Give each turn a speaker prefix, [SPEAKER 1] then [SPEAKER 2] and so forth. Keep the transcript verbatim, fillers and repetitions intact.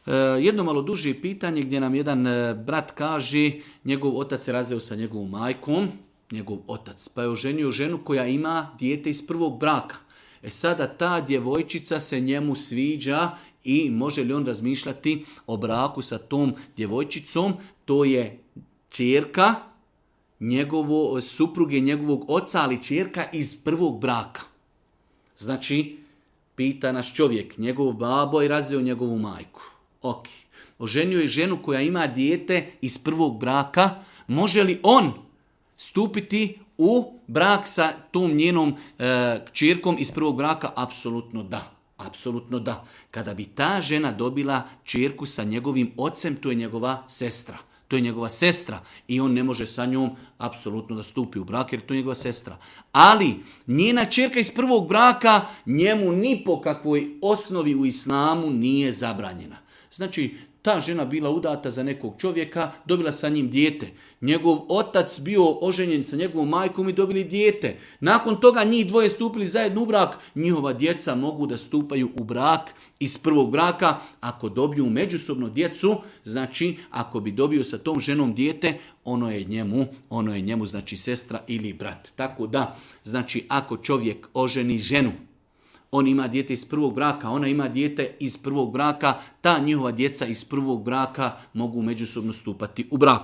[SPEAKER 1] E, jedno malo duže pitanje gdje nam jedan e, brat kaže, njegov otac se razveo sa njegovom majkom, njegov otac, pa je oženio ženu koja ima dijete iz prvog braka. E sada ta djevojčica se njemu sviđa i može li on razmišljati o braku sa tom djevojčicom? To je ćerka njegovo, supruge njegovog oca, ali ćerka iz prvog braka. Znači, pita nas čovjek, njegov babo je razveo njegovu majku. Ok. Oženio je ženu koja ima dijete iz prvog braka. Može li on stupiti u brak sa tom njenom e, kćerkom iz prvog braka? Apsolutno da. Apsolutno da. Kada bi ta žena dobila kćerku sa njegovim ocem, to je njegova sestra. To je njegova sestra i on ne može sa njom apsolutno da stupi u brak jer to je njegova sestra. Ali njena kćerka iz prvog braka njemu ni po kakvoj osnovi u islamu nije zabranjena. Znači, ta žena bila udata za nekog čovjeka, dobila sa njim dijete. Njegov otac bio oženjen sa njegovom majkom i dobili dijete. Nakon toga njih dvoje stupili zajedno u brak. Njihova djeca mogu da stupaju u brak iz prvog braka ako dobiju međusobno djecu. Znači, ako bi dobio sa tom ženom dijete, ono je njemu, ono je njemu znači sestra ili brat. Tako da, znači, ako čovjek oženi ženu, on ima dijete iz prvog braka, ona ima dijete iz prvog braka, ta njihova djeca iz prvog braka mogu međusobno stupati u brak.